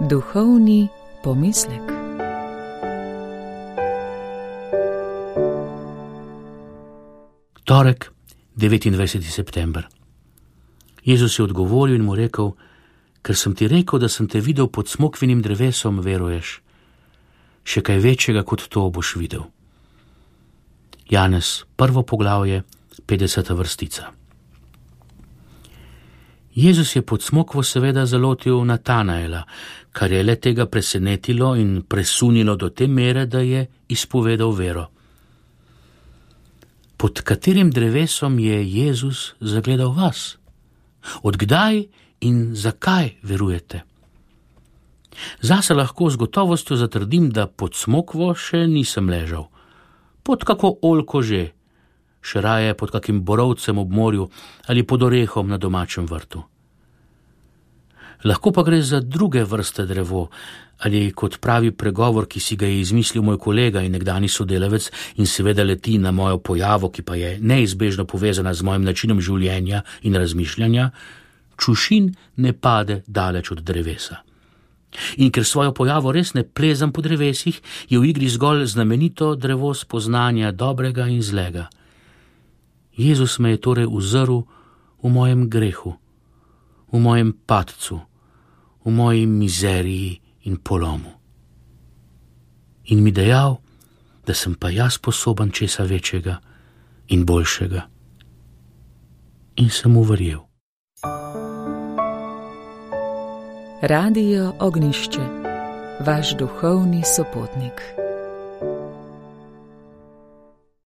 Duhovni pomislek. Torek, 29. september. Jezus je odgovoril in mu rekel: ker sem ti rekel, da sem te videl pod smokvinim drevesom, veruješ? Še kaj večjega kot to boš videl. Janez, 1. poglavje, 50. vrstica. Jezus je pod smokvo seveda zalotil Natanaela, kar je le tega presenetilo in presunilo do te mere, da je izpovedal vero. Pod katerim drevesom je Jezus zagledal vas? Od kdaj in zakaj verujete? Zase lahko z gotovostjo zatrdim, da pod smokvo še nisem ležal. Pod kako oljko že, še raje pod kakim borovcem ob morju ali pod orehom na domačem vrtu. Lahko pa gre za druge vrste drevo, ali kot pravi pregovor, ki si ga je izmislil moj kolega in nekdani sodelavec in seveda leti na mojo pojavo, ki pa je neizbežno povezana z mojim načinom življenja in razmišljanja: čušin ne pade daleč od drevesa. In ker svojo pojavo res ne plezam po drevesih, je v igri zgolj znamenito drevo spoznanja dobrega in zlega. Jezus me je torej uzrl v mojem grehu, v mojem padcu, v moji mizeriji in polomu. In mi dejal, da sem pa jaz sposoben česa večjega in boljšega. In sem mu verjel. Radio Ognjišče, vaš duhovni sopotnik.